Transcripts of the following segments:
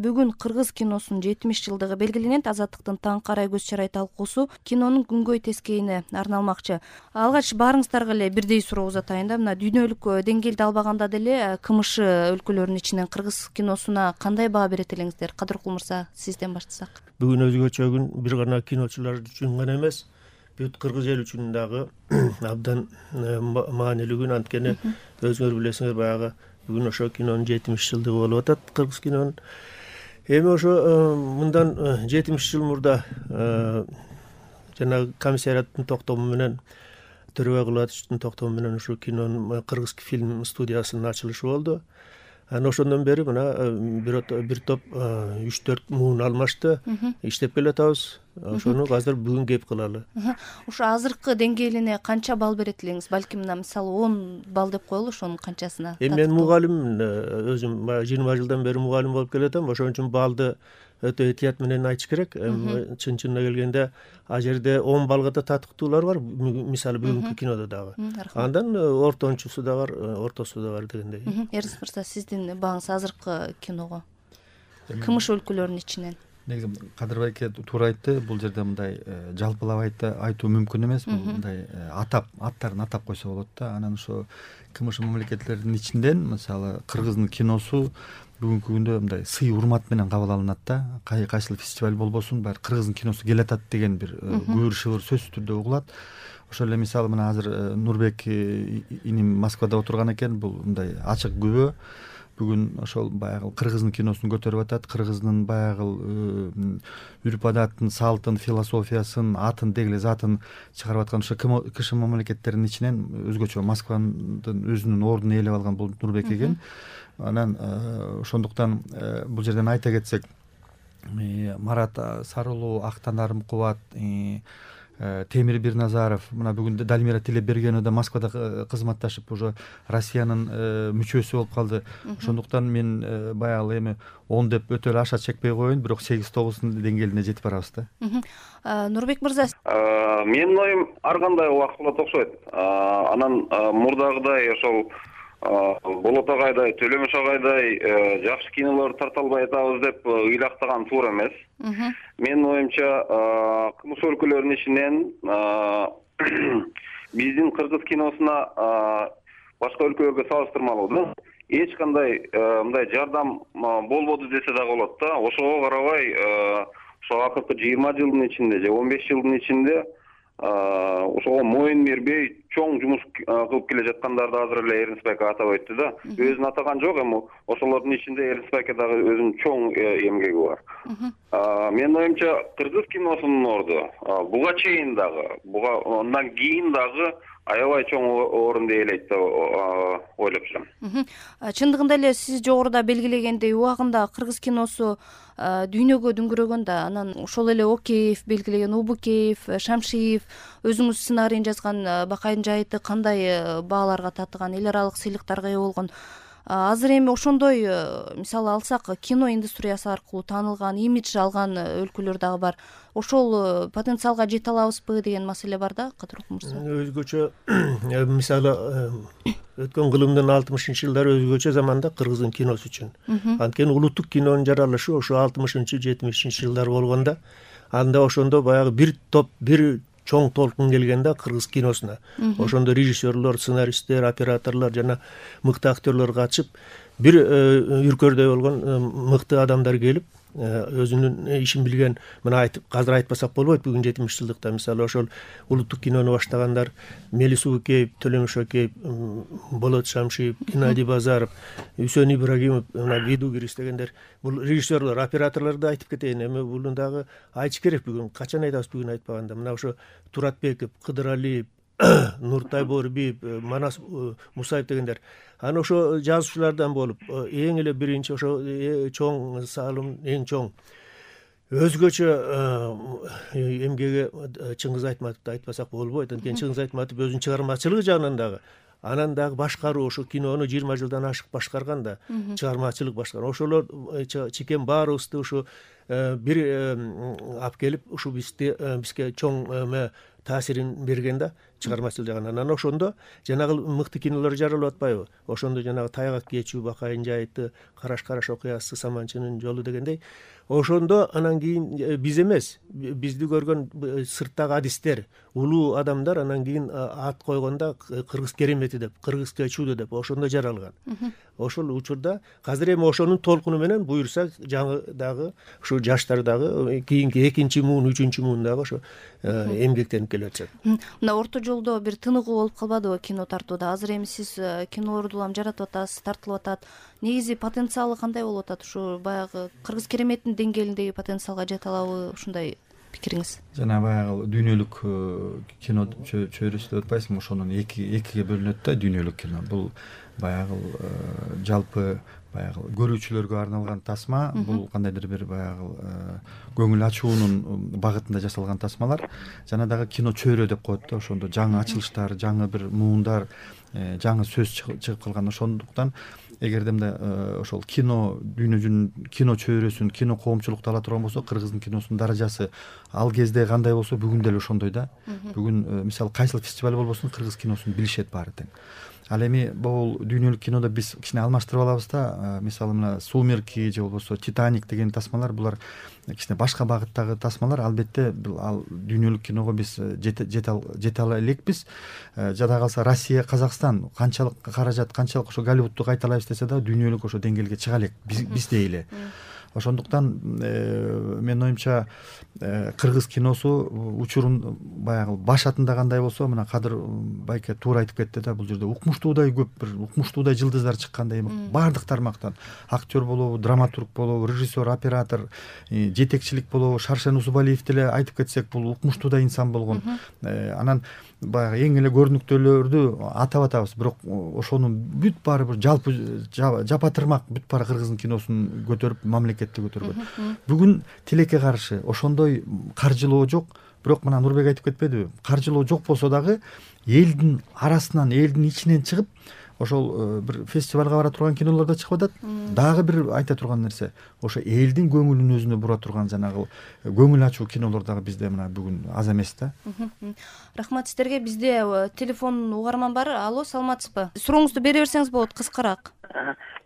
Бүгүн кыргыз киносунун 70 жылдыгы белгиленет. Азаттыктын Таң карай көз чарай талкуусу кинонун күнгөй тескейине арналмакчы. Алгач баарыңыздарга эле бирдей суроо узатайын да. Мына дүйнөлүк деңгээлде албаганда деле КМШ өлкөлөрүнүн ичинен кыргыз киносуна кандай баа берет элеңиздер? Кадыркул мырза, сизден баштасак. Бүгүн өзгөчө күн, бир гана киночулар үчүн гана эмес, бүт кыргыз эл үчүн дагы абдан маанилүү күн. Анткени өзүңөр билесиңер, баягы бүгүн ошо кинонун 70 жылдыгы болуп атат, кыргыз кинонун. Эми ошо мындан 70 жыл мурда жана комиссариаттын токтому менен, Төрөбай Кулбатовичтин токтому менен ушу кинонун кыргыз фильм студиясынын ачылышы болду. Анан ошондон бери мына бир топ 3-4 муун алмашты, иштеп келатабыз. Ошону азыр бүгүн кеп кылалы. Ушу азыркы деңгээлине канча балл берет элеңиз? Балким мына мисалы 10 балл деп коелу, ошонун канчасына? Мен мугалиммин, өзүм 20 жылдан бери мугалим болуп келатам. Ошон үчүн баллды өтө этият менен айтыш керек. Чын-чынына келгенде а жерде 10 баллга да татыктуулар бар, мисалы бүгүнкү кинодо дагы. Андан ортончусу да бар, ортосу да бар дегендей. Эрнст мырза, сиздин бааңыз азыркы киного КМШ өлкөлөрүнүн ичинен? Негизи Кадырбай эке туура айтты. Бул жерде мындай жалпылап айтуу мүмкүн эмес. Бул мындай аттарын атап койсо болот да. Анан ошо КМШ мамлекеттеринин ичинден мисалы кыргыздын киносу бүгүнкү күндө мындай сый урмат менен кабыл алынат да. Кайсыл фестиваль болбосун, баары кыргыздын киносу келатат деген бир күбүр-шыбыр сөзсүз түрдө угулат. Ошол эле мисалы мына азыр Нурбек иним Москвада отурган экен. Бул мындай ачык күбө. Бүгүн ошол баягы кыргыздын киносун көтөрүп атат. Кыргыздын баягы үрп адатын, салтын, философиясын, атын, деги эле затын чыгарып аткан ошо КШ мамлекеттеринин ичинен өзгөчө Москванын өзүнүн ордун ээлеп алган бул Нурбек экен. Анан ошондуктан бул жерден айта кетсек, Марат Сарылуу, Актанарым Кубат, Темир Бирназаров, мына бүгүн Далмира Тилебергенова да Москвада кызматташып уже Россиянын мүчөсү болуп калды. Ошондуктан мен баягы эми 10 деп өтө эле аша чекпей коеюн, бирок 8-9 деңгээлине жетип барабыз да. Нурбек мырза, менин оюм ар кандай убактылат окшойт. Анан мурдагыдай ошол Болот агайдай, Төлөмөш агайдай жакшы кинолорду тарта албай атабыз деп ыйлактаган туура эмес. Менин оюмча КМШ өлкөлөрүнүн ичинен биздин кыргыз киносуна башка өлкөлөргө салыштырмалуу эч кандай мындай жардам болбоду десе дагы болот да. Ошого карабай ошо акыркы 20 жылдын ичинде же 15 жылдын ичинде ошого моюн бербей чоң жумуш кылып келе жаткандарды азыр эле Эрнст байке атап өттү да. Өзүн атаган жок, эми ошолордун ичинде Эрнст байке дагы өзүнүн чоң эмгеги бар. Менин оюмча кыргыз киносунун орду буга чейин дагы, андан кийин дагы аябай чоң орунду ээлейт деп ойлоп жүрөм. Чындыгында эле сиз жогоруда белгилегендей убагында кыргыз киносу дүйнөгө дүңгүрөгөн да. Анан ошол эле Океев белгилеген, Убукеев, Шамшиев өзүңүз сценарийин жазган Бакайдын жайыты кандай бааларга татыган, эл аралык сыйлыктарга ээ болгон. Азыр эми ошондой мисалы алсак, кино индустриясы аркылуу таанылган, имидж алган өлкөлөр дагы бар. Ошол потенциалга жете алабызбы деген маселе бар да, Кадыркул мырза. Өзгөчө мисалы өткөн кылымдын 60-жылдары өзгөчө заманда кыргыздын киносу үчүн. Анткени улуттук кинонун жаралышы ошо 60-70 жылдар болгондо, анда ошондо баягы бир топ, бир чоң толкун келгенде кыргыз киносуна. Ошондо режиссерлор, сценаристтер, операторлор жана мыкты актерлор катышып, бир үркөрдөй болгон мыкты адамдар келип, өзүнүн ишин билген, мына айтып, азыр айтпасак болбойт, бүгүн 70 жылдыкта мисалы ошол улуттук кинону баштагандар Мелис Убукеев, Төлөмөш Океев, Болот Шамшиев, Геннадий Базаров, Үсөн Ибрагимов, мына Видугирис дегендер, бул режиссерлор, операторлорду айтып кетейин. Эми буну дагы айтыш керек бүгүн. Качан айтабыз бүгүн айтпаганда? Мына ошо Туратбеков, Кыдыралиев, Нуртай Борбиев, Манас Мусаев дегендер. Анан ошо жазуучулардан болуп, эң эле биринчи ошо чоң салым, эң чоң өзгөчө эмгеги Чыңгыз Айтматовду айтпасак болбойт. Анткени Чыңгыз Айтматов өзүнүн чыгармачылыгы жагынан дагы, анан дагы башкаруу, ошо кинону 20 жылдан ашык башкарган да, чыгармачылык башкарган. Ошолор чикен баарыбызды ушу бир алып келип, ушу бизге чоң таасирин берген да. чыгармачыл жагынан. Анан ошондо жанагы мыкты кинолор жаралып атпайбы? Ошондо жанагы Тайгак кечүү, Бакайын жайыты, Караш окуясы, Саманчынын жолу дегендей, ошондо анан кийин биз эмес, бизди көргөн сырттагы адистер, улуу адамдар анан кийин ат койгондо кыргыз керемети деп, кыргыз кечүүдү деп ошондо жаралган. Ошол учурда азыр эми ошонун толкуну менен буюрса жаңы дагы ушу жаштар дагы кийинки 2-муун, 3-муун дагы ошо эмгектенип келе атышат. Мына орто жолдо бир тыныгуу болуп калбадыбы кино тартууда? Азыр эми сиз кинолорду улам жаратып атасыз, тартылып атат. Негизи потенциалы кандай болуп атат? Ушу баягы кыргыз кереметтин деңгээлиндеги потенциалга жете алабы? Ушундай пикириңиз? Жана баягы дүйнөлүк кино чөйрөсү деп атпайсыңбы? Ошонун экиге бөлүнөт да дүйнөлүк кино. Бул баягы жалпы баягы көрүүчүлөргө арналган тасма, бул кандайдыр бир баягы көңүл ачуунун багытында жасалган тасмалар. Жана дагы кино чөйрө деп коет да, ошондо жаңы ачылыштар, жаңы бир муундар, жаңы сөз чыгып калган. Ошондуктан эгерде мындай ошол кино дүйнө жүзүнүн кино чөйрөсүн, кино коомчулукту ала турган болсо, кыргыздын киносунун даражасы ал кезде кандай болсо, бүгүн деле ошондой да. Бүгүн мисалы кайсыл фестиваль болбосун кыргыз киносун билишет баары тең. Ал эми бул дүйнөлүк кинодо биз кичине алмаштырып алабыз да. Мисалы мына Сумерки же болбосо Титаник деген тасмалар, булар кичине башка багыттагы тасмалар. Албетте ал дүйнөлүк киного биз жете ала элекпиз. Жада калса Россия, Казакстан канчалык каражат, канчалык ошо Голливудту кайталайбыз десе да, дүйнөлүк ошо деңгээлге чыга элек биз дейли. Ошондуктан менин оюмча кыргыз киносу учурун баягы башатында кандай болсо, мына Кадыр байке туура айтып кетти да, бул жерде укмуштуудай көп бир укмуштуудай жылдыздар чыккандай, баардык тармактан актер болобу, драматург болобу, режиссер, оператор, жетекчилик болобу, Шаршен Усубалиев деле айтып кетсек, бул укмуштуудай инсан болгон. Анан баягы эң эле көрүнүктүүлөрдү атап атабыз, бирок ошонун бүт баары бир жалпы жапатырмак бүт баары кыргыздын киносун көтөрүп, мамлекетти көтөргөн. Бүгүн тилекке каршы ошондой каржылоо жок, бирок мына Нурбек айтып кетпедиби? Каржылоо жок болсо дагы элдин арасынан, элдин ичинен чыгып, ошол бир фестивалга бара турган кинолор да чыгып атат. Дагы бир айта турган нерсе, ошо элдин көңүлүн өзүнө бура турган жанагы көңүл ачуу кинолор дагы бизде мына бүгүн аз эмес да. Рахмат сиздерге. Бизде телефон угарман бар. Алло, саламатсызбы? Сурооңузду бере берсеңиз болот, кыскараак.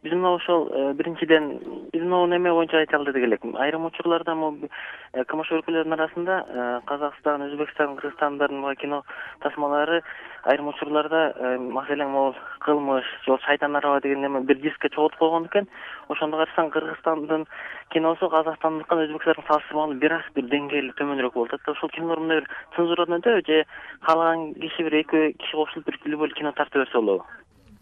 Биз мына ошол биринчиден биз могу неме боюнча айта алдык элек. Айрым учурларда КМШ өлкөлөрүнүн арасында Казакстан, Өзбекстан, Кыргызстандын кино тасмалары айрым учурларда маселен могул кылмыш, жол шайтан араба деген неме бир дискке чогултуп койгон экен. Ошондо карасаң Кыргызстандын киносу Казакстандыкына Өзбекстандын салыштырмалуу бир аз бир деңгээли төмөнүрөөк болуп атат. Ошол кинолор мындай бир цензурадан өтөбү же каалаган киши бир 2 киши кошулуп бир любой кино тарта берсе болобу?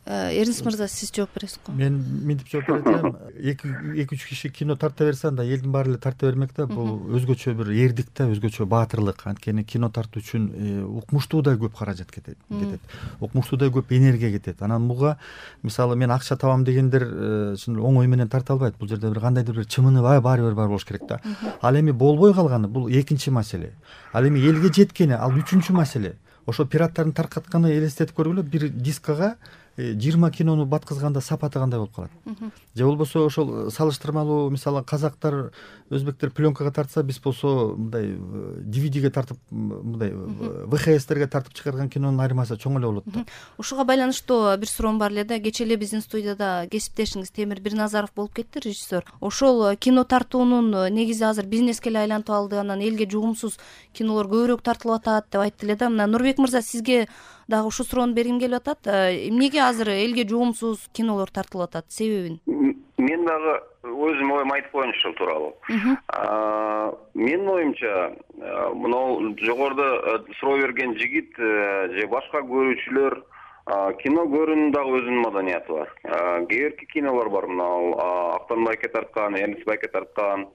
Эрнис мырза, сиз жооп бересиз го? Мен мынтип жооп берем. 2-3 киши кино тарта берсе, анда элдин баары эле тарта бермек да. Бул өзгөчө бир эрдик да, өзгөчө баатырлык. Анткени кино тартуу үчүн укмуштуудай көп каражат кетет. Укмуштуудай көп энергия кетет. Анан буга мисалы мен акча табам дегендер оңой менен тарта албайт. Бул жерде бир кандайдыр бир чымыны баары бир бар болуш керек да. Ал эми болбой калганы бул экинчи маселе. Ал эми элге жеткени ал үчүнчү маселе. Ошо пираттардын таркатканы элестетип көргүлө, бир дискага 20 кинону баткызганда сапаты кандай болуп калат. Же болбосо ошол салыштырмалуу мисалы казактар, өзбектер пленкага тартса, биз болсо мындай DVD-ге тартып, мындай VHS-терге тартып чыгарган кинонун айырмасы чоң эле болот да. Ушуга байланыштуу бир суроом бар эле да. Кечээ эле биздин студияда кесиптешиңиз Темир Бирназаров болуп кетти, режиссер. Ошол кино тартуунун негизи азыр бизнеске эле айланып алды, анан элге жугумсуз кинолор көбүрөөк тартылып атат деп айтты эле да. Мына Нурбек мырза, сизге дагы ушул суроону бергим келип атат. Эмнеге азыр элге жугумсуз кинолор тартылып атат? Себебин? Мен дагы өзүм оюм айтып коеюнчу ушул тууралуу. Менин оюмча, мына жогоруда суроо берген жигит же башка көрүүчүлөр кино көрүүнүн дагы өзүнүн маданияты бар. Кээ бирки кинолор бар, мына Актан байке тарткан, Эрнис байке тарткан,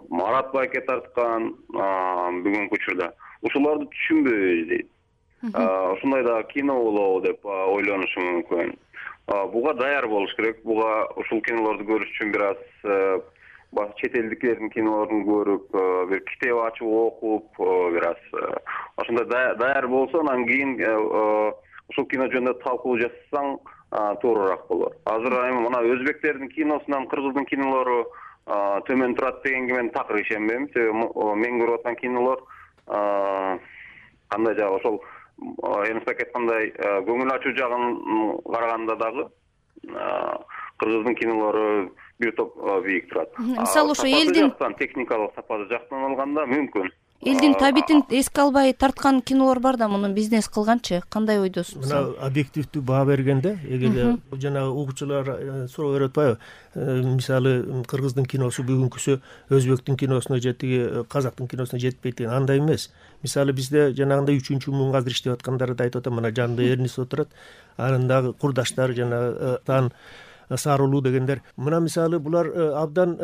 Марат байке тарткан бүгүнкү учурда. Ушуларды түшүнбөйбүз дейт. Ушундай да кино болобу деп ойлонушу мүмкүн. Буга даяр болуш керек. Буга ушул кинолорду көрүш үчүн бир аз чет элдиктердин кинолорун көрүп, бир китеп ачып окуп, бир аз ошондой даяр болсо, анан кийин ушул кино жөнүндө талкуу жасасаң туурураак болот. Азыр эми мына өзбектердин киносунан кыргыздын кинолору төмөн турат дегенге мен такыр ишенбейм. Себеби мен көрүп аткан кинолор кандай жагы ошол Эмсак айткандай көңүл ачуу жагын караганда дагы кыргыздын кинолору бир топ бийик турат. Мисалы ошо элдин техникалык сапаты жактан алганда мүмкүн. Элдин табитин эске албай тарткан кинолор бар да, муну бизнес кылганчы кандай ойдосуз? Мына объективдүү баа бергенде, эгерде жанагы угуучулар суроо берип атпайбы, мисалы кыргыздын киносу бүгүнкүсү өзбектин киносуна же тиги казактын киносуна жетпейт деген, андай эмес. Мисалы бизде жанагындай 3-муң азыр иштеп аткандарды айтып атам, мына жанында Эрнис отурат, анын дагы курдаштары жанагы Тан Сарылуу дегендер. Мына мисалы булар абдан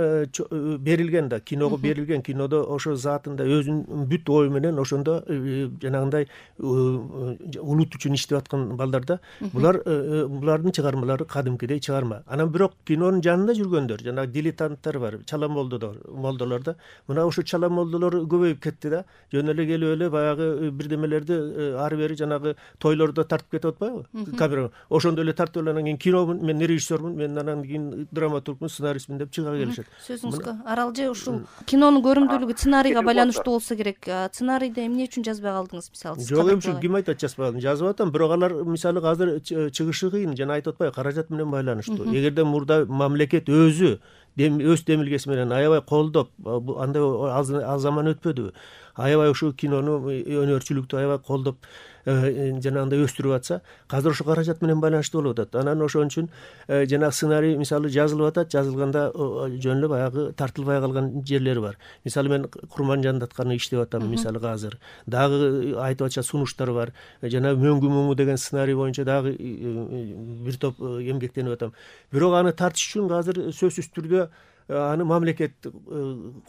берилген да, киного берилген, кинодо ошо затында өзүнүн бүт ою менен ошондо жанагындай улут үчүн иштеп аткан балдар да. Булардын чыгармалары кадимкидей чыгарма. Анан бирок кинонун жанында жүргөндөр, жанагы дилетанттар бар, чала молдолор да. Мына ошо чала молдолор көбөйүп кетти да. Жөн эле келип эле баягы бирдемелерди ары бери жанагы тойлордо тартып кетип атпайбы? Камера ошондо эле тартып эле анан кийин кино мен режиссермун, мен анан кийин драматургмун, сценаристмин деп чыга келишет. Сөзүңүзгө аралжы ушул кинонун көрүмдүүлүгү сценарийге байланыштуу болсо керек. Сценарийди эмне үчүн жазбай калдыңыз, мисалы? Жок, эми ким айтат жазбай калдым? Жазып атам, бирок алар мисалы азыр чыгышы кыйын, жана айтып атпайбы, каражат менен байланыштуу. Эгерде мурда мамлекет өзү өз демилгеси менен аябай колдоп, андай аз заман өтпөдүбү? Аябай ушул кинону, өнөрчүлүктү аябай колдоп жанагындай өстүрүп атса, азыр ошо каражат менен байланыштуу болуп атат. Анан ошон үчүн жанагы сценарий мисалы жазылып атат, жазылганда жөн эле баягы тартылбай калган жерлери бар. Мисалы мен Курманжандатканы иштеп атам, мисалы азыр. Дагы айтып атча сунуштар бар. Жанагы Мөңгү муңу деген сценарий боюнча дагы бир топ эмгектенип атам. Бирок аны тартыш үчүн азыр сөзсүз түрдө аны мамлекет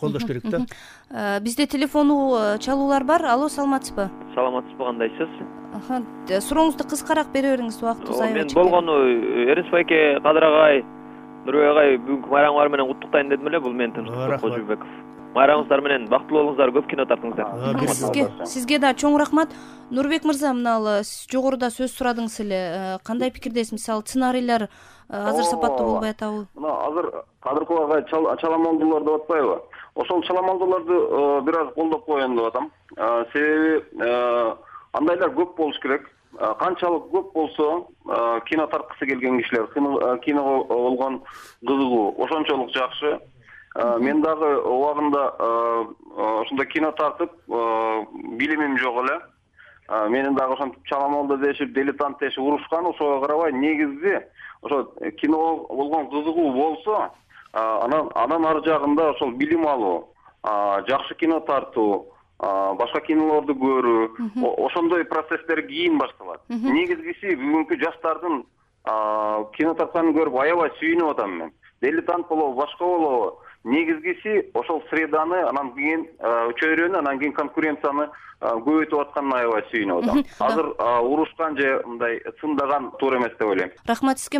колдош керек да. Бизде телефону чалуулар бар. Алло, саламатсызбы? Саламатсызбы, кандайсыз? Сурооңузду кыскараак бере бериңиз, убактыбыз аябай мен болгону Эрнис байке, Кадыр агай, Нурбек агай бүгүнкү майрамыңар менен куттуктайын дедим эле. Бул мен Тынчбек Кожобеков. Майрамыңыздар менен бактылуу болуңуздар, көп кино тартыңыздар. Сизге да чоң рахмат. Нурбек мырза, мына сиз жогоруда сөз сурадыңыз эле. Кандай пикирдесиз? Мисалы сценарийлер азыр сапаттуу болбой атабы? Мына азыр Кадыркул агай чаламолдулар деп атпайбы? Ошол чаламолдуларды бир аз колдоп коеюн деп атам. Себеби андайлар көп болуш керек. Канчалык көп болсо кино тарткысы келген кишилер, киного болгон кызыгуу ошончолук жакшы. Мен дагы убагында ошондой кино тартып билимим жок эле. Менин дагы ошентип чаламолду дешип, дилетант дешип урушкан, ошого карабай негизи ошо кино болгон кызыгуу болсо, анан ары жагында ошол билим алуу, жакшы кино тартуу, башка кинолорду көрүү, ошондой процесстер кийин башталат. Негизгиси бүгүнкү жаштардын кино тартканын көрүп аябай сүйүнүп атам мен. Дилетант болобу, башка болобу, негизгиси ошол среданы, анан кийин чөйрөнү, анан кийин конкуренцияны көбөйтүп атканына аябай сүйүнүп атам. Азыр урушкан же мындай сындаган туура эмес деп ойлойм. Рахмат сизге.